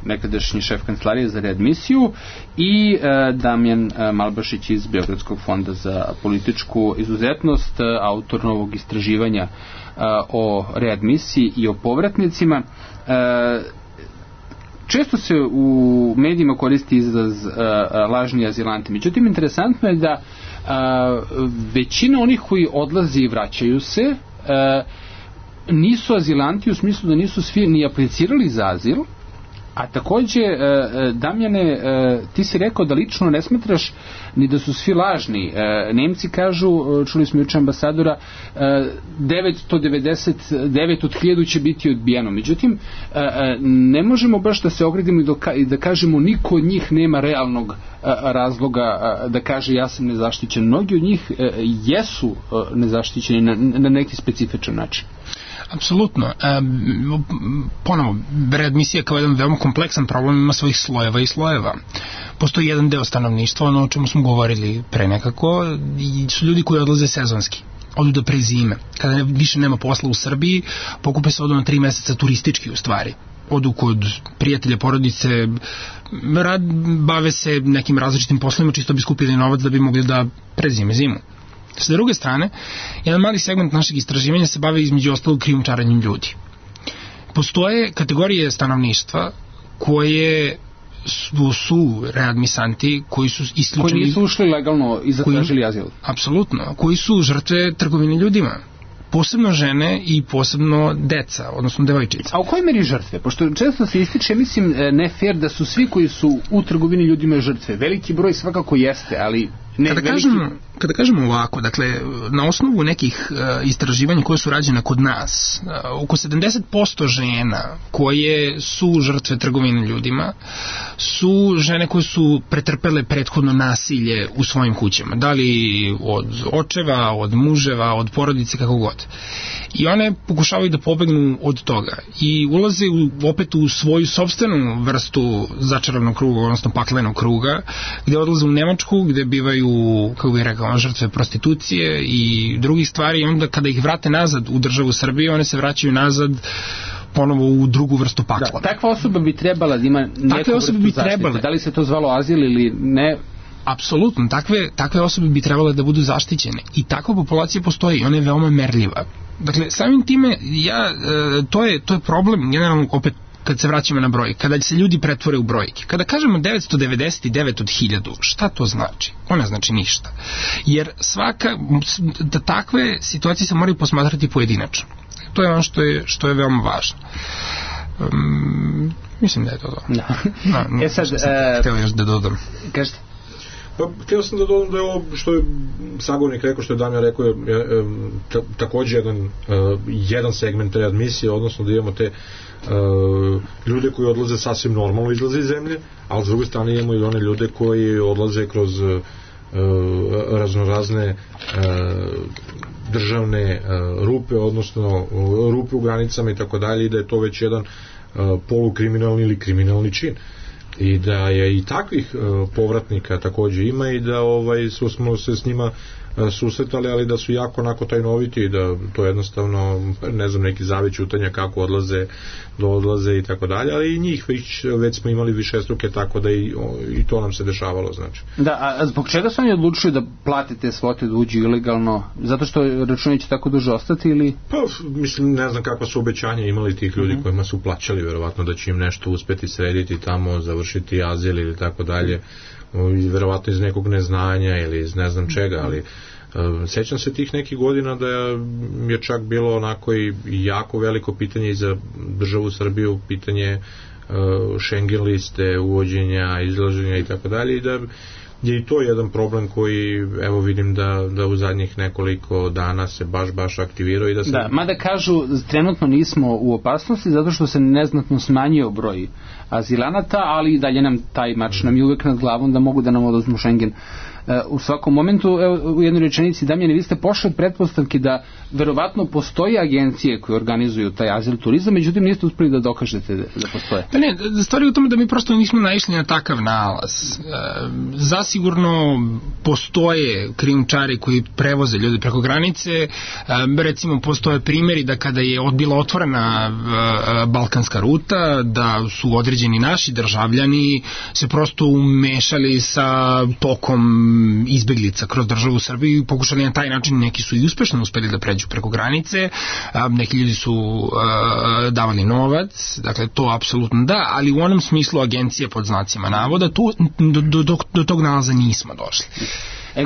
nekadašnji šef kancelarije za readmisiju, i Damjan Malbašić iz Beogradskog fonda za političku izuzetnost, autor novog istraživanja o readmisiji i o povratnicima. Često se u medijima koristi izraz lažni azilanti, međutim interesantno je da većina onih koji odlazi i vraćaju se nisu azilanti, u smislu da nisu svi ni aplicirali za azil. A takođe, Damjane, ti si rekao da lično ne smatraš ni da su svi lažni. Nemci kažu, čuli smo juče ambasadora, 999 od 1000 će biti odbijeno. Međutim, ne možemo baš da se ogradimo i da kažemo niko od njih nema realnog razloga da kaže ja sam nezaštićen. Mnogi od njih jesu nezaštićeni na neki specifičan način. Apsolutno. Ponovo, readmisija kao jedan veoma kompleksan problem ima svojih slojeva i slojeva. Postoji jedan deo stanovništva, ono o čemu smo govorili pre nekako, i su ljudi koji odlaze sezonski. Odu da prezime. Kada više nema posla u Srbiji, pokupe se odu na 3 meseca turistički u stvari. Odu kod prijatelja, porodice, bave se nekim različitim poslovima, čisto bi skupili novac da bi mogli da prezime zimu. S druge strane, jedan mali segment našeg istraživanja se bavi između ostalog krijumčarenjem ljudi. Postoje kategorije stanovništva koje su readmisanti, koji su isključeni... Koji nisu ušli legalno i zatražili azil. Apsolutno, koji su žrtve trgovine ljudima. Posebno žene i posebno deca, odnosno devojčice. A u kojoj meri žrtve? Pošto često se ističe, mislim, ne fair da su svi koji su u trgovini ljudima žrtve. Veliki broj svakako jeste, ali... Kada kažemo ovako, dakle, na osnovu nekih istraživanja koje su rađene kod nas, oko 70% žena koje su žrtve trgovine ljudima su žene koje su pretrpele prethodno nasilje u svojim kućama, da li od očeva, od muževa, od porodice, kako god. I one pokušavaju da pobegnu od toga i ulaze opet u svoju sopstvenu vrstu začaranog kruga, odnosno paklenog kruga, gde odlaze u Nemačku, gde bivaju, kako bih rekao, žrtve prostitucije i drugih stvari, i onda kada ih vrate nazad u državu Srbije, one se vraćaju nazad ponovo u drugu vrstu pakla. Da, takva osoba bi trebala da ima neku vrstu zaštite. Da li se to zvalo azil ili ne? Apsolutno, takve osobe bi trebale da budu zaštićene i takva populacija postoji i ona je veoma merljiva. Dakle, samim time, to je problem, generalno, opet, kad se vraćamo na broj, kada se ljudi pretvore u brojke. Kada kažemo 999 od 1000, šta to znači? To ne znači ništa. Jer da takve situacije se moraju posmatrati pojedinačno. To je ono što je veoma važno. Mislim da je to. Da. Sad, htio još da dodam. Kažete? Htio sam da dodam da je ovo što je sagovornik rekao, što je Damjan rekao, je takođe jedan segment readmisije, odnosno da imamo te ljude koji odlaze sasvim normalno, izlaze iz zemlje, ali s druge strane imamo i one ljude koji odlaze kroz raznorazne državne rupe, odnosno rupe u granicama i tako dalje, i da je to već jedan polukriminalni ili kriminalni čin. I da je i takvih povratnika takođe ima i da smo se s njima susretali, ali da su jako onako tajnoviti i da to jednostavno, ne znam, neki zavet ćutanja kako odlaze i tako dalje, ali i njih već smo imali višestruke, tako da i to nam se dešavalo, znači. Da, a zbog čega su oni odlučili da platite svote da uđu ilegalno? Zato što računi će tako duže ostati ili? Pa, mislim, ne znam kakva su obećanja imali tih ljudi kojima su plaćali, verovatno da će im nešto uspeti srediti tamo, završiti azil ili tako dalje, verovatno iz nekog neznanja ili iz ne znam čega, ali sećam se tih nekih godina da je čak bilo onako i jako veliko pitanje i za državu Srbiju, pitanje Schengen liste, uvođenja, izlaženja i tako dalje, i da je i to jedan problem koji evo vidim da u zadnjih nekoliko dana se baš aktivirao i da se... Da, mada kažu trenutno nismo u opasnosti zato što se neznatno smanjio broj azilanata, ali dalje nam taj mač nam je uvek nad glavom da mogu da nam oduzmu Schengen u svakom momentu. Evo, u jednoj rečenici, Damjane, vi ste pošli od pretpostavke da verovatno postoje agencije koje organizuju taj azil turizam, međutim niste uspeli da dokažete da postoje. Pa ne, stvar je u tome da mi prosto nismo naišli na takav nalaz. Zasigurno postoje krijumčari koji prevoze ljude preko granice, recimo postoje primjeri da kada je bila otvorena balkanska ruta, da su određeni naši državljani se prosto umešali sa tokom izbeglica kroz državu Srbiju i pokušali na taj način, neki su i uspešno uspeli da pređu preko granice, neki ljudi su davali novac, dakle to apsolutno da, ali u onom smislu agencije pod znacima navoda do tog nalaza nismo došli.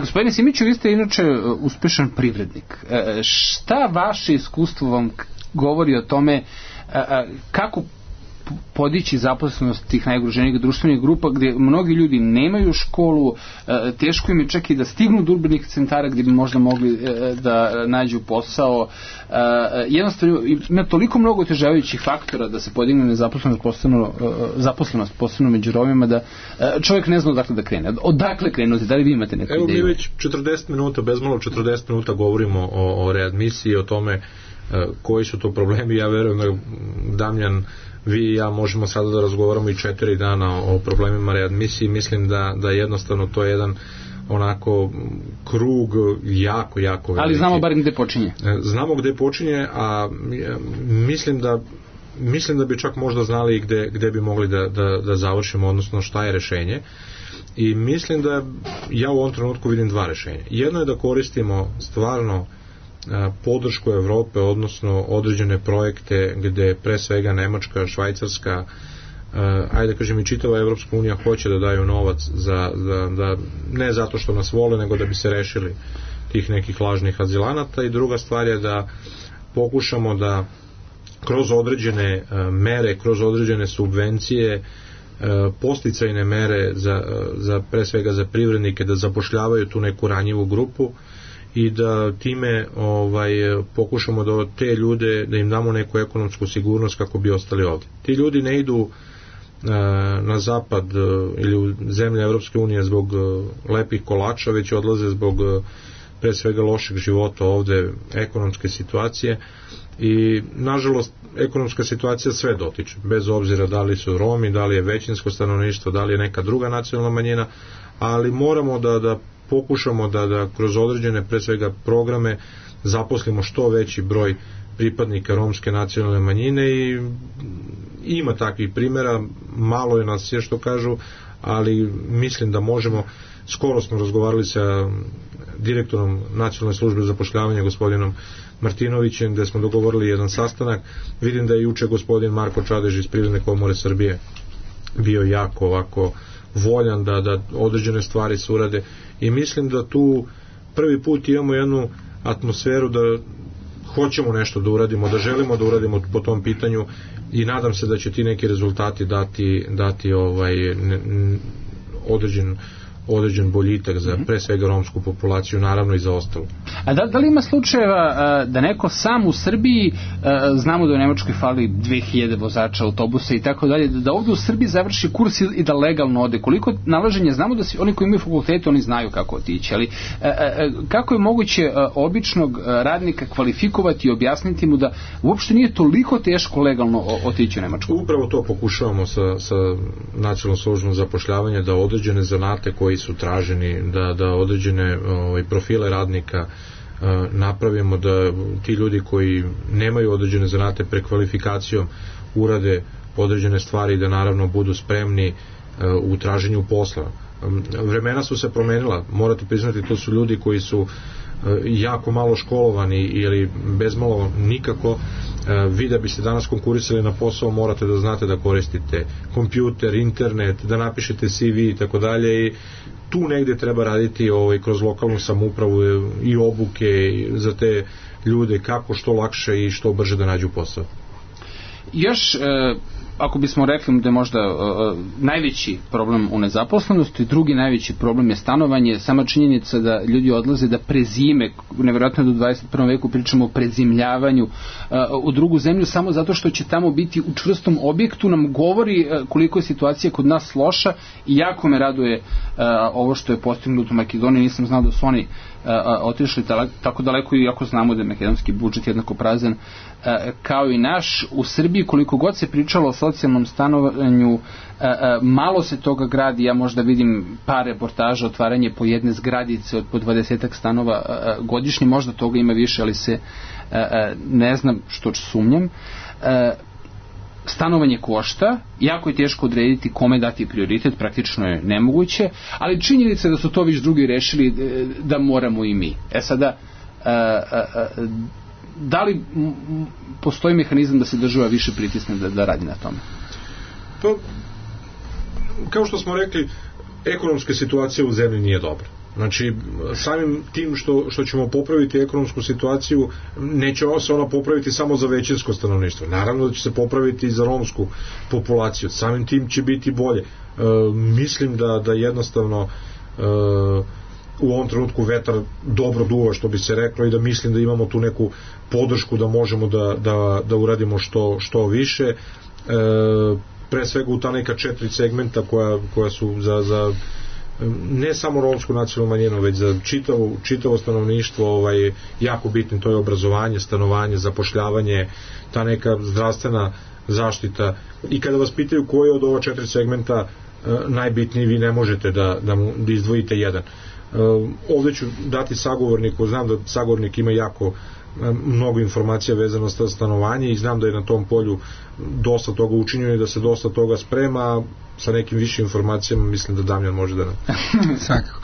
Gospodine Simiću, vi ste inače uspešan privrednik. Šta vaše iskustvo vam govori o tome kako podići zaposlenost tih najugroženijih društvenih grupa gdje mnogi ljudi nemaju školu, teško im je čak i da stignu do urbanih centara gdje bi možda mogli da nađu posao. Jednostavno ima toliko mnogo otežavajućih faktora da se podigne zaposlenost posebno među Romima da čovjek ne zna odakle da krene. Odakle krenuti? Da li vi imate neku ideju? Evo mi već 40 minuta, bezmalo 40 minuta govorimo o readmisiji, o tome koji su to problemi. Ja verujem da Damjan, vi i ja možemo sada da razgovaramo i 4 dana o problemima readmisiji. Mislim da jednostavno to je jedan onako krug jako veliki. Ali znamo bar gde počinje. Znamo gde počinje, a mislim da bi čak možda znali i gde bi mogli da završimo, odnosno šta je rešenje. I mislim da ja u ovom trenutku vidim 2 rešenja. Jedno je da koristimo stvarno podršku Evrope, odnosno određene projekte gde pre svega Nemačka, Švajcarska, ajde kažem i čitava Evropska unija hoće da daju novac da ne zato što nas vole, nego da bi se rešili tih nekih lažnih azilanata. I druga stvar je da pokušamo da kroz određene mere, kroz određene subvencije, podsticajne mere za pre svega za privrednike da zapošljavaju tu neku ranjivu grupu i da time pokušamo da te ljude, da im damo neku ekonomsku sigurnost kako bi ostali ovdje. Ti ljudi ne idu na zapad ili u zemlje Evropske unije zbog lepih kolača, već odlaze zbog pre svega lošeg života ovde, ekonomske situacije, i nažalost ekonomska situacija sve dotiče, bez obzira da li su Romi, da li je većinsko stanovništvo, da li je neka druga nacionalna manjina, ali moramo da pokušamo da kroz određene pre svega programe zaposlimo što veći broj pripadnika romske nacionalne manjine. I ima takvih primjera, malo je nas je što kažu, ali mislim da možemo. Skoro smo razgovarali sa direktorom Nacionalne službe zapošljavanja gospodinom Martinovićem, gde smo dogovorili jedan sastanak. Vidim da je juče gospodin Marko Čadež iz Privredne komore Srbije bio jako ovako voljan da određene stvari se urade, i mislim da tu prvi put imamo jednu atmosferu da hoćemo nešto da uradimo, da želimo da uradimo po tom pitanju, i nadam se da će ti neki rezultati dati određen boljitak za pre svega romsku populaciju, naravno i za ostalo. A da li ima slučajeva da neko sam u Srbiji, znamo da u Nemačkoj fali 2000 vozača autobusa i tako dalje, da ovdje u Srbiji završi kurs i da legalno ode? Koliko nalaženja, znamo da oni koji imaju fakultete, oni znaju kako otići, ali kako je moguće običnog radnika kvalifikovati i objasniti mu da uopšte nije toliko teško legalno otići u Nemačku? Upravo to pokušavamo sa Nacionalnom službom zapošljavanja, da određene zanate koji su traženi, da određene profile radnika napravimo, da ti ljudi koji nemaju određene zanate prekvalifikacijom urade određene stvari, da naravno budu spremni u traženju posla. Vremena su se promenila, morate priznati, to su ljudi koji su jako malo školovani ili bezmalo nikako. Vi da biste danas konkurisali na posao morate da znate da koristite kompjuter, internet, da napišete CV i tako dalje, i tu negde treba raditi kroz lokalnu samoupravu i obuke za te ljude kako što lakše i što brže da nađu posao. Još ako bismo rekli da je možda najveći problem u nezaposlenosti, drugi najveći problem je stanovanje, sama činjenica da ljudi odlaze da prezime, nevjerojatno da u 21. veku pričamo o prezimljavanju u drugu zemlju, samo zato što će tamo biti u čvrstom objektu, nam govori koliko je situacija kod nas loša i jako me raduje ovo što je postignuto u Makedoniji. Nisam znao da su oni otišli tako daleko, iako znamo da je makedonski budžet jednako prazan kao i naš. U Srbiji, koliko god se pričalo o socijalnom stanovanju, malo se toga gradi. Ja možda vidim par reportaža, otvaranje po jedne zgradice od po 20 stanova godišnje, možda toga ima više, ali se ne znam, što sumnjam. Stanovanje košta, jako je teško odrediti kome dati prioritet, praktično je nemoguće, ali činjenica je da su to već drugi rešili da moramo i mi. Sada, da li postoji mehanizam da se država više pritisne da radi na tome? Pa, kao što smo rekli, ekonomska situacija u zemlji nije dobra. Znači, samim tim što ćemo popraviti ekonomsku situaciju, neće se ona popraviti samo za većinsko stanovništvo. Naravno da će se popraviti i za romsku populaciju. Samim tim će biti bolje. Mislim da jednostavno u ovom trenutku vetar dobro duva, što bi se reklo, i da mislim da imamo tu neku podršku da možemo da uradimo što više. Pre svega u ta neka 4 segmenta koja su za ne samo romsku nacionalnu manjinu, već za čitavo stanovništvo jako bitno. To je obrazovanje, stanovanje, zapošljavanje, ta neka zdravstvena zaštita. I kada vas pitaju koji je od ova 4 segmenta najbitniji, vi ne možete da izdvojite jedan. Ovdje ću dati sagovorniku, znam da sagovornik ima jako mnogo informacija vezano sa stanovanje i znam da je na tom polju dosta toga učinjeno i da se dosta toga sprema. Sa nekim više informacijama mislim da Damjan može da nam... Svakako.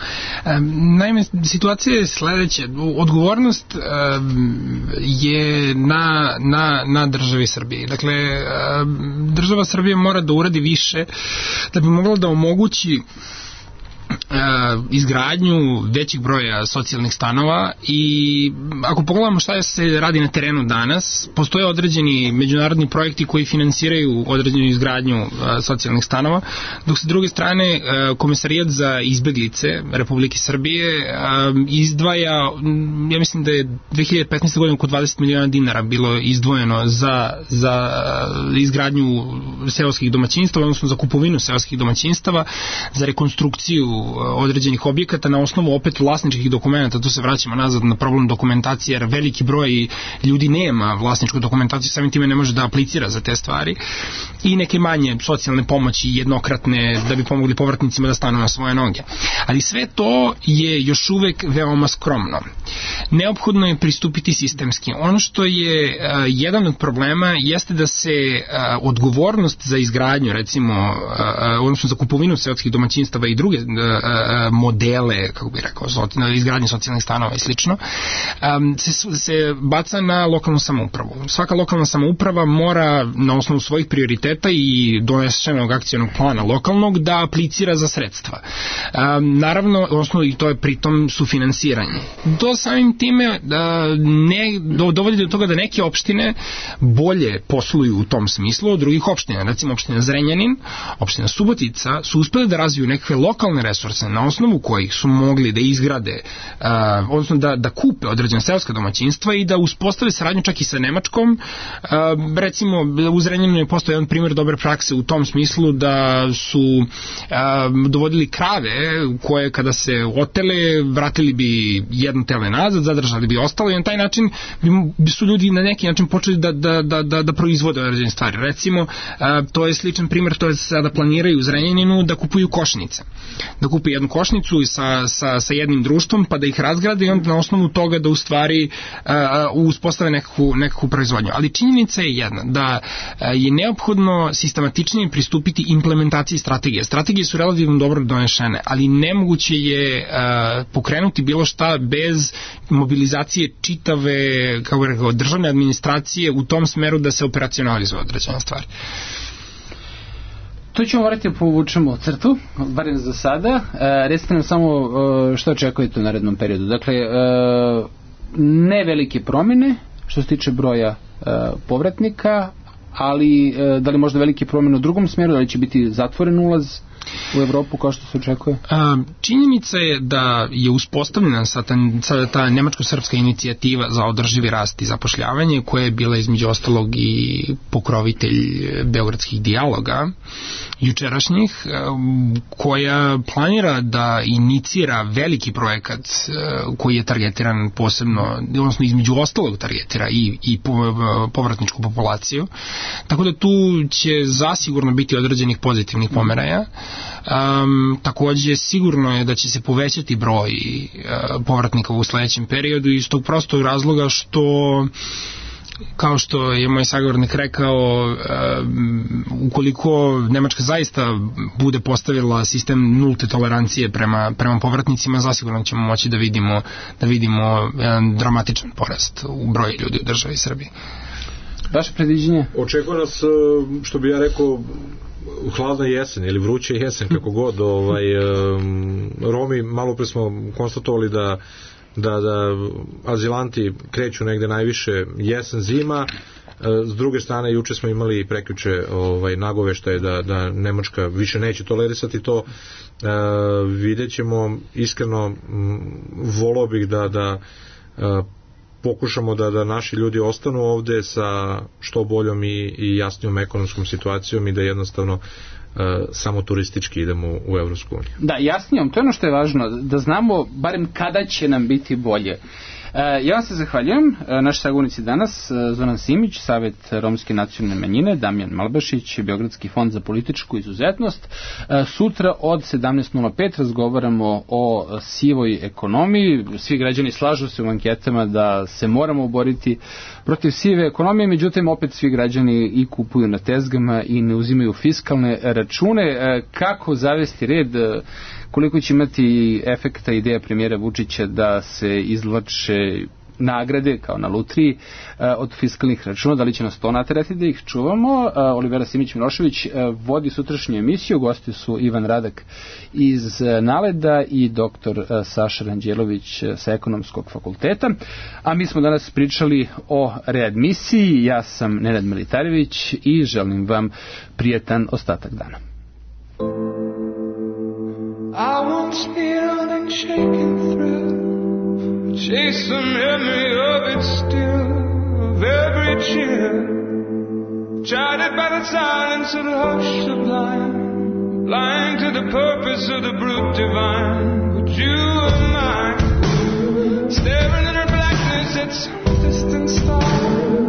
Naime, situacija je sledeća. Odgovornost je na državi Srbije. Dakle, država Srbije mora da uradi više da bi mogla da omogući izgradnju većih broja socijalnih stanova. I ako pogledamo šta se radi na terenu danas, postoje određeni međunarodni projekti koji finansiraju određenu izgradnju socijalnih stanova, dok sa druge strane Komesarijat za izbeglice Republike Srbije izdvaja, ja mislim da je 2015. godine oko 20 miliona dinara bilo izdvojeno za izgradnju seoskih domaćinstava, odnosno za kupovinu seoskih domaćinstava, za rekonstrukciju određenih objekata na osnovu opet vlasničkih dokumenta. Tu se vraćamo nazad na problem dokumentacije, jer veliki broj ljudi nema vlasničku dokumentaciju, samim time ne može da aplicira za te stvari, i neke manje socijalne pomoći jednokratne da bi pomogli povratnicima da stanu na svoje noge. Ali sve to je još uvek veoma skromno. Neophodno je pristupiti sistemski. Ono što je jedan od problema jeste da se odgovornost za izgradnju, recimo, odnosno za kupovinu seoskih domaćinstava i druge modele, kako bih rekao, izgradnje socijalnih stanova i slično, se baca na lokalnu samoupravu. Svaka lokalna samouprava mora na osnovu svojih prioriteta i donesenog akcionog plana lokalnog da aplicira za sredstva. Naravno, odnosno i to je pritom sufinansiranje. To samim time dovodi do toga da neke opštine bolje posluju u tom smislu od drugih opština. Recimo opština Zrenjanin, opština Subotica su uspeli da razviju nekakve lokalne resurse na osnovu kojih su mogli da izgrade, odnosno da kupe određene seoska domaćinstva i da uspostave saradnju čak i sa Nemačkom. Recimo, u Zrenjaninu je postao jedan primjer dobre prakse u tom smislu da su dovodili krave koje kada se otele, vratili bi jedno tele nazad, zadržali bi ostalo i na taj način bi su ljudi na neki način počeli da proizvode određene stvari. Recimo, to je sličan primjer, to je sada planiraju u Zrenjaninu da kupuju košnice. Da kupi jednu košnicu sa jednim društvom, pa da ih razgrade i onda na osnovu toga da u stvari uspostave nekakvu proizvodnju. Ali činjenica je jedna, da je neophodno sistematičnije pristupiti implementaciji strategije. Strategije su relativno dobro donešene, ali nemoguće je pokrenuti bilo šta bez mobilizacije čitave, kako bih rekao, državne administracije u tom smeru da se operacionalizuje određena stvar. To ćemo morati da povučemo crtu, barem za sada. Recite nam samo što očekujete u narednom periodu. Dakle, ne velike promjene što se tiče broja povratnika, ali da li možda veliki promjen u drugom smjeru, da li će biti zatvoren ulaz u Evropu kao što se očekuje? Činjenica je da je uspostavljena sada ta nemačko-srpska inicijativa za održivi rast i zapošljavanje, koja je bila između ostalog i pokrovitelj beogradskih dijaloga jučerašnjih, koja planira da inicira veliki projekat koji je targetiran posebno, odnosno između ostalog targetira i povratničku populaciju, tako da tu će zasigurno biti određenih pozitivnih pomeraja. Takođe sigurno je da će se povećati broj povratnika u sledećem periodu iz tog prostog razloga što, kao što je moj sagovornik rekao, ukoliko Nemačka zaista bude postavila sistem nulte tolerancije prema povratnicima, zasigurno ćemo moći da vidimo jedan dramatičan porast u broju ljudi u državi Srbiji. Vaše predviđenje? Očekuje nas, što bi ja rekao, hladna jesen ili vruća jesen, kako god. Romi, malo pre smo konstatovali da azilanti kreću negde najviše jesen, zima. S druge strane, juče smo imali prekjuče nagoveštaje da Nemačka više neće tolerisati to. Vidjet ćemo, iskreno volao bih da pokušamo da naši ljudi ostanu ovde sa što boljom i jasnijom ekonomskom situacijom i da jednostavno samo turistički idemo u Evropsku uniju. Da, jasnijom, to je ono što je važno, da znamo barem kada će nam biti bolje. Ja vam se zahvaljujem. Naši sagovornici danas, Zoran Simić, Savet romske nacionalne manjine, Damjan Malbašić, Beogradski fond za političku izuzetnost. Sutra od 17:05 razgovaramo o sivoj ekonomiji. Svi građani slažu se u anketama da se moramo boriti protiv sive ekonomije, međutim opet svi građani i kupuju na tezgama i ne uzimaju fiskalne račune. Kako zavesti red, koliko će imati efekta ideja premijera Vučića da se izvlače nagrade kao na lutriji od fiskalnih računa, da li će nas to naterati da ih čuvamo? Olivera Simić-Milošević vodi sutrašnju emisiju, gosti su Ivan Radak iz Naleda i doktor Saša Ranđelović sa Ekonomskog fakulteta, a mi smo danas pričali o readmisiji. Ja sam Nenad Militarević i želim vam prijetan ostatak dana. I once kneeled and shaken through, chase the memory of it still, of every cheer, chided by the silence of the hush sublime, blind to the purpose of the brute divine. But you are mine, staring in her blackness at some distant star.